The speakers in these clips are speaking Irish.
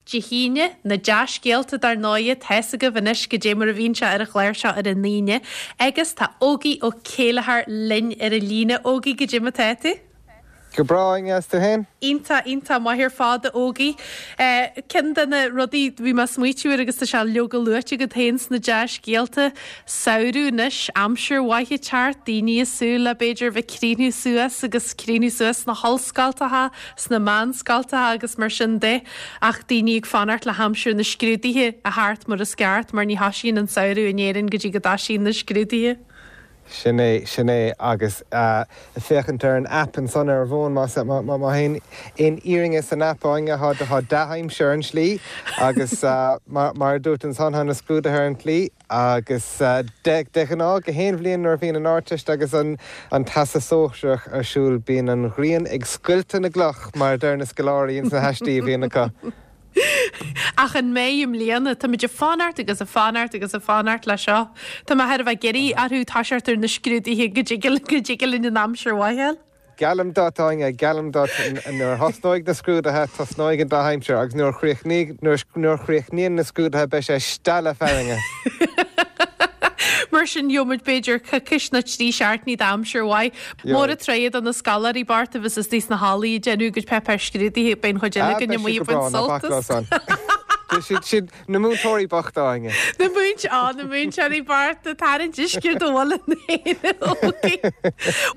Dé hAoine, na dea-scéalta dar ndóighe, tá's agaibh anois goidé mar a bhíonn sé ar an chlár seo ar an Aoine. Agus tá Ógie Ó Céilleachair linn ar an líne. Ógie, goidé mar tá tú? Go breá, Áine, is tú féin? Iontach, iontach maith ar fad, a Ógie. Ceann de na rudaí a bhí mé ag smaoitiú air agus tá sé leoga luaite agat féin sna dea-scéalta, samhradh anois, aimsir mhaith ag teacht, daoine ag súil le b'fhéidir bheith ag críochnú suas agus críochnú suas sna hollscoltacha, sna meánscoltacha agus mar sin de, ach daoine ag fanacht le haimsir na scrúduithe a theacht mar is ceart mar ní thoisíonn an samhradh in Éirinn go dtí go dtoisíonn na scrúduithe. Sin é, sin é. Agus féachaint ar an aip ansan ar an bhfón, más má aon fhírinne san aip, Áine, tá dea-aimsir ar an tslí agus mar a dúirt ansan, tá na scrúduithe ar an tslí agus de ghnáth, gach aon bhliain nuair a bhíonn an Ardteist agus an Teastas Sóisearach ar siúl, bíonn an ghrian ag scoilteadh na gcloch, mar a deir na scoláirí ins na haistí a bhíonn acu. Ach an mbeidh i mbliana? Táimid ag fanacht agus ag fanacht agus ag fanacht le seo. Tá mé thar a bheith ag iarraidh orthu toiseacht ar na scrúduithe go dtig linn an aimsir mhaith a fháil. Geallaim duit, Áine, geallaim duit, nuair a thosnóidh na scrúduithe, tosnóidh an dea-aimsir agus nuair a chríochnaíonn na scrúduithe beidh sé stealladh fearthainne. Mar sin, gheobhaimid b'fhéidir coicís nó 3 seachtainí d'aimsir mhaith. Mór an truaighe do na scoláirí bochta a bheas istigh sna hallaí ag déanamh a gcuid páipéar scrúdaithe, beidh an chuid eile Ah, againn beidh amuigh siad ag go baint breá, ná bac leo sultas. san. Siad, siad, na múinteoirí bochta, Áine. Na múint, á, na múinteoirí bochta, tarraingt uisce do mhuileann féin, okay.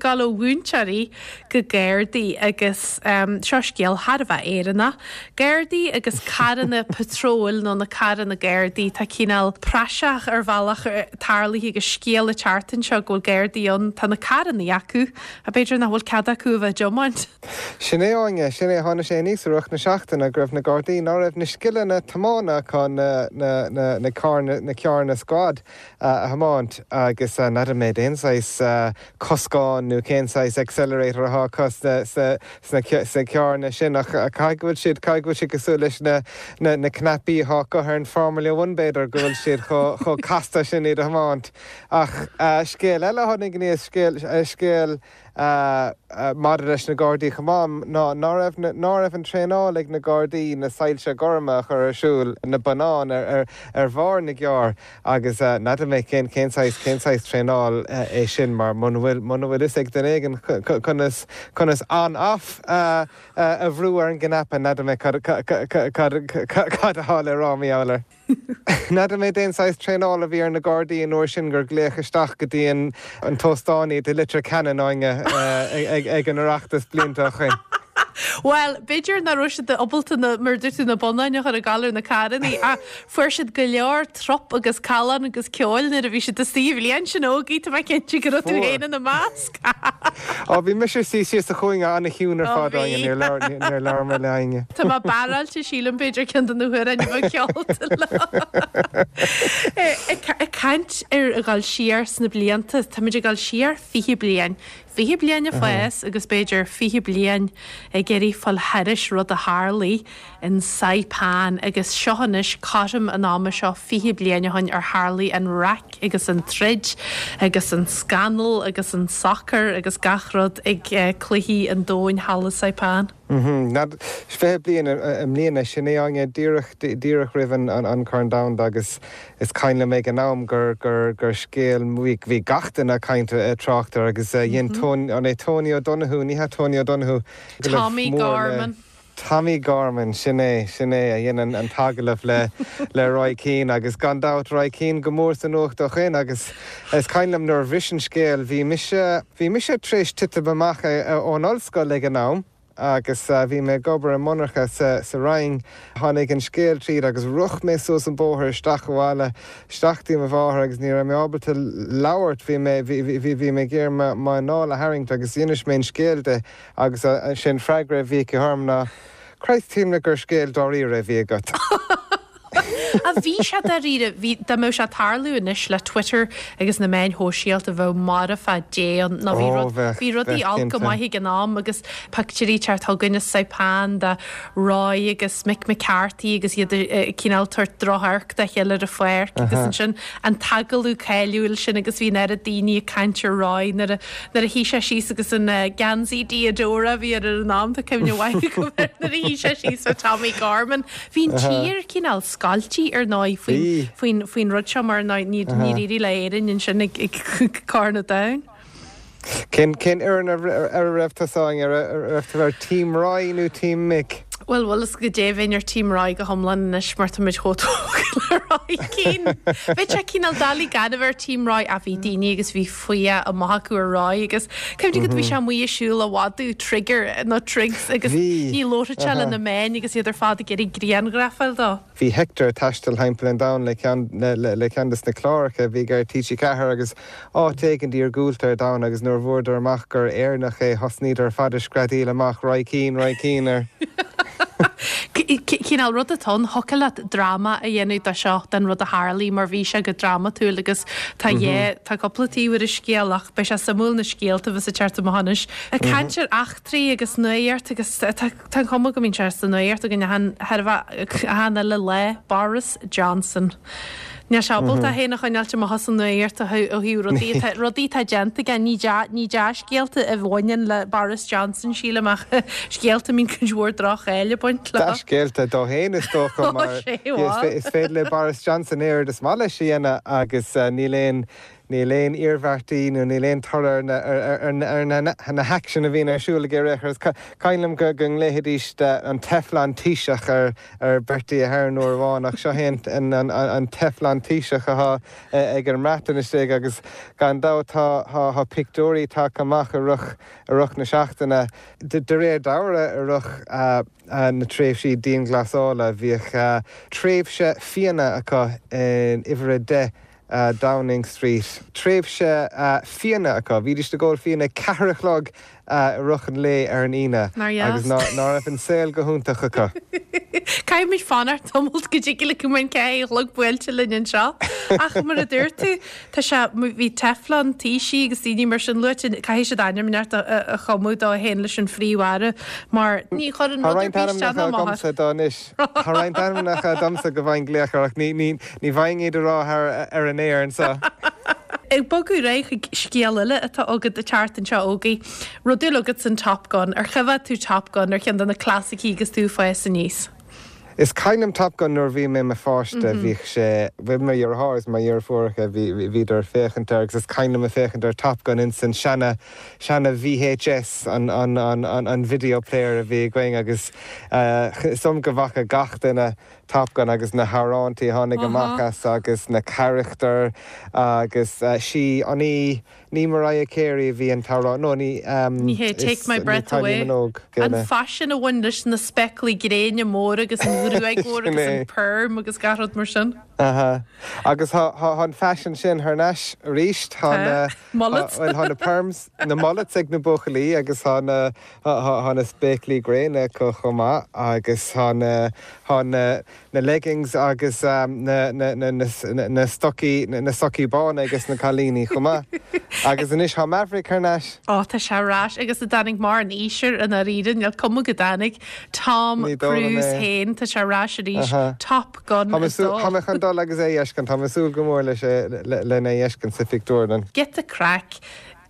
Gabháil ó mhúinteoirí go Gardaí agus seo scéal thar a bheith Éireannach. Gardaí agus carranna patróil nó na carranna Gardaí, tá cineál praiseach ar bhealach tarlaithe agus scéal ag teacht anseo go bhfuil Gardaí ann, tá na carrannaí acu ach b'fhéidir nach bhfuil cead acu a bheith ag tiomáint. Sin é, Áine, sin é, tháinig sé aníos i rith na seachtaine go raibh na Gardaí, ná raibh na scileanna tiomána acu na, na, na, na carranna, na carranna squad a thiomáint agus n'fheadar mé cén saghas coscán nó cén saghas accelerator atá acu sna carranna sin ach caithfidh go bhfuil siad, caithfidh go bhfuil siad cosúil leis na na cnaipí atá acu ar an Formula One b'fhéidir, go bhfuil siad chomh casta sin iad a thiomáint. Ach scéal eile a tháinig aníos, scéal, scéal maidir leis na Gardaí chomh maith ná ná raibh, ná raibh an traenáil ag na Gardaí na soilse gorma a chur ar siúl, na bonnáin ar ar bharr na gcarr. Agus n'fheadar mé cén cén saghas cén saghas traenáil é sin mar muna bhfuil muna bhfuil fhios ag duine éigin conas conas on off a a bhrú ar an gcnaipe n'fheadar mé cad cad cad atá le rá mar gheall air. N'fheadar mé cén saghas traenáil a bhí ar na Gardaí an uair sin gur glaodh isteach go dtí an an t-óstán iad i Leitir Ceanainn Áine ag ag an Oireachtas blianta ó shoin. Bhuel, b'fhéidir nach raibh siad ábalta na, mar a dúirt tú, na bonnáin a chur ag gabháil ar na carrannaí ach Fuair siad go leor trup agus callán agus ceoil nuair a bhí siad istigh an bhliain sin, Ógie, tá mé cinnte go raibh tú Fuair. féin ina measc. Á, bhí mise suí síos sa chúinne an-chiúin ar Ó, fad, bhí. Áine, níor labhair, níor labhair mé le éinne. Tá mé barráilte, sílim, b'fhéidir ceann de na hamhráin a bheadh ceolta leo. Ag caint ar a dhul siar sna blianta, táimid ag dul siar 20 bliain. 20 bliain ag fás agus b'fhéidir 20 bliain ag iarraidh fáil thairis rud a tharlaigh in Saipan agus seo anois cothrom an ama seo 20 bliain ó shin ar tharlaigh an raic agus an troid agus an scannal agus an socair agus gach rud ag Cluichí an Domhain thall i Saipan. 20 bliain i mbliana, sin é Áine, díreach, díreach roimh an Corn Domhanda agus is cuimhin liom ag an am gur, gur, gur scéal, bhí, bhí gach duine ag caint, ag trácht air agus dhein Tony, an é Tony O'Donoghue, ní hea Tony O'Donoghue, Tommy Gorman. Tommy Gorman, sin é, sin é, a dhein an t-agallamh le, le Roy Keane agus gan dabht Roy Keane go mór sa nuacht ó shoin agus is cuimhin liom nuair a bhris an scéal, bhí mise, bhí mise tar éis titim amach ón ollscoil ag an am agus bhí mé ag obair i monarcha sa, sa Rinn. Tháinig an scéal tríd agus rith mé suas an bóthar isteach abhaile, isteach dtí mo mháthair agus ní raibh mé ábalta labhairt, bhí mé, bhí, bhí, bhí mé ag iarraidh m'anáil a tharraingt agus d'inis mé an scéal di. Agus sé an freagra a bhí aici orm ná, Christ, shíl mé gur scéal dáiríre a bhí agat. Ach bhí sé dáiríre, bhí, dá mbeadh sé ag tarlú anois le Twitter agus na meáin shóisialta bheadh marfach Dé ann nó bhí rud, bhí rudaí olc go maith ag an am agus pictiúirí ag teacht chugainn as Saipan de Roy agus Mick McCarthy agus iad ag cineál tabhairt drochamharc dá chéile ar an pháirc agus ansin an t-agallamh cáiliúil sin agus bhí an oiread daoine ag caint ar Roy nuair a nuair a shuigh sé síos agus an geansaí Diadora a bhí air ar an am, tá cuimhne mhaith agam air nuair a shuigh sé síos le Tommy Gorman. Bhí an tír cineál scoilte ar ndóigh faoin faoin faoin rud seo mar níor níor éirigh le Éirinn ansin ag ag Corn an Domhain. Cén cén fhoireann ar a raibh tusa Áine? Ar raibh tú ar Team Roy nó Team Mick? Bhuel, bhfuil fhios agat goidé, bheinn ar Team Roy go hiomlán anois mar tá muid chomh tógtha le Roy Keane. Bheadh sé cineál doiligh gan a bheith ar Team Roy ach bhí daoine agus bhí fuath amach acu ar Roy agus cuimhnigh go bhí sé amuigh ag siúl á mhadadh Trigger nó Triggs agus ní labharfadh sé le na meáin agus iad ar fad ag iarraidh grianghraf a fháil dó. Bhí Hector ag taisteal thimpeall an domhain le ceann le ceann des na cláracha a bhí ar TG4 agus áit éigint iargúlta ar domhan agus nuair a bhfuaireadar amach gur Éireannach é thosnaíodar ar fad ag screadaíl amach Roy Keane, Roy Keane air. Cineál rud atá ann, thiocfadh leat dráma a dhéanamh de seo, den rud a tharlaigh mar bhí sé go drámatúil agus tá yeah, tá cúpla taobh ar an scéal ach beidh sé suimiúil na scéalta a bheas ag teacht amach anois. Ag caint ar eachtraí agus nuaíocht agus tá Tá an chuma go mbíonn sé sa nuaíocht againn achan achan uile lá, Boris Johnson. Níl sé ábalta é féin a choinneáilt amach as an nuaíocht ó thaobh rudaí atá rudaí atá déanta aige. Ní dea ní dea-scéalta a bhaineann le Boris Johnson, sílim, ach scéalta a mbíonn cuid mhór droch-cháil ag baint leo. Dea-scéalta dó féin is dócha mar is féidir le Boris Johnson oiread is maith leis a dhéanamh agus níl aon Níl aon iarmhairtí nó níl aon toradh ar na haicsin a bhíonn ar siúl aige ar aon chor. Is cuimhin liom go nglaofaidís an Teflon Taoiseach ar Bertie Ahern uair amháin ach seo é an Teflon Taoiseach atá ag an mBreatain istigh agus gan dabht tá pictiúirí tagtha amach i rith na seachtaine. De réir dealraimh i rith na tréimhsí dianghlasála bhíodh tréimhse fíona acu in uimhir 10 Downing Street. Tréimhse fíona acu. Bhídís ag ól fíona ag ceathair a chlog i rith an lae ar an Aoine agus ná raibh an saol go hiontach acu. Caithfimid fanacht tamalt go dtig le go mbeidh an ceathair a chlog buailte linn anseo. Ach mar a dúirt tú, tá sé, bhí Teflon Taoisigh agus daoine mar sin luaite, caithfidh siad ainm inteacht a chumadh dó féin leis an Phríomh-Aire mar ní chuireann rud ar bith isteach ná amach air. Tá roinnt ainmneacha agamsa go bhfaighinn glaoch air ach ní bhfaighinn iad a rá thar ar an aer anseo. Ag bogadh ar aghaidh chuig scéal eile atá agat ag teacht anseo, Ógie. Raibh dúil agat san Top Gun. Ar choimhéad tú Top Gun ar cheann de na clasaicí agus tú ag fás aníos? Is cuimhin liom Top Gun nuair a bhí mé i mo pháiste, bhíodh sé, bhuel mo dheartháir is mo dheirfiúracha, bhí, bhíodar ag féachaint air agus is cuimhin liom ag féachaint ar Top Gun ins an seana, seana VHS, an, an, an, an video player a bhí againn agus Is dóigh liom go bhfaca gach duine Top Gun agus na hamhrántaí a tháinig amach as agus na carachtair agus sí an í ní Mariah Carey a bhí an t-amhrán no ní Ní hé Take My Breath Away an faisean a bhain leis na spéaclaí gréine móra agus an ghruaig mhór agus an perm agus gach rud mar sin. Aha. Agus tá an faisean sin thar n-ais arís. Tá na mullets. Bhuel tá na perms, na mullets ag na buachaillí agus tá na Tá na spéaclaí gréine acu chomh maith agus tá na, tá na, na leggings agus na, na, na, na stocaí, na socaí bána ages na cailíní chomh maith. Agus anois tá Maverick thar n-ais. Ó, tá sé ar ais agus a dtáinig mar an aoisir i ndáiríre, níl cuma go dtáinig. Tom Cruise féin, tá sé ar ais arís. Top Gun 2. Tá mé chun dul agus é a fheiscint, tá mé ag súil go mór leis é, lena fheiscint sa phictiúrlann. Giota craic.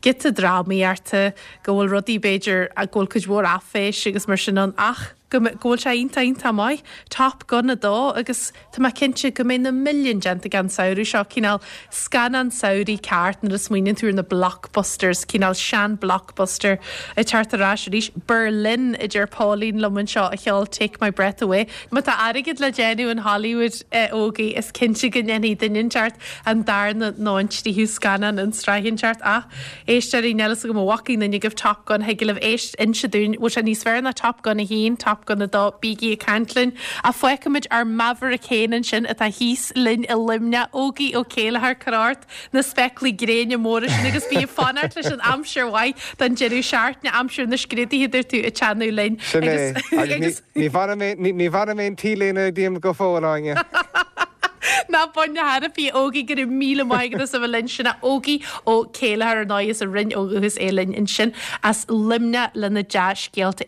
giota drámaíochta, go bhfuil rudaí, b'fhéidir, go bhfuil cuid mhór áiféis agus mar sin ann ach go go bhfuil sé iontach iontach maith. Top Gun 2 agus tá mé cinnte go mbeidh na milliúin déanta aige an samhradh seo, cineál scannán samhraidh ceart nuair a smaoiníonn tú ar na blockbusters, cineál sean blockbuster ag teacht ar ais arís. Berlin, a deir Pauline liom anseo a cheol Take My Breath Away. Má tá airgead le déanamh in Hollywood, a Ógie, is cinnte go ndéanfaidh duine inteacht an darna nó an tríú scannán an tsraith inteacht ach éisteoirí níl fhios agam an bhfaca aon duine agaibh Top Gun thig libh éist inse dúinn bhfuil sé níos fearr ná Top Gun 1, Top Gun 2 bígí ag caint linn ach fágfaimid ár Maverick féin ansin atá thíos linn i Luimneach Ógie Ó Céilleachair cuir ort na spéaclaí gréine móra sin agus bí ag fanacht leis an aimsir mhaith don deireadh seachtaine aimsir na scrúduithe dúirt tú ag teannadh linn Sin é agus ní bhainfidh mé ní bhainfidh mé an t-léine díom go fóill Áine. Ná bain na hairifí, a Ógie, go raibh míle maith agat as a bheith linn. Sin é Ógie Ó Céilleachair ar ndóigh as an Rinn ó dhúchas é linn ansin as Luimneach lena dea-scéalta.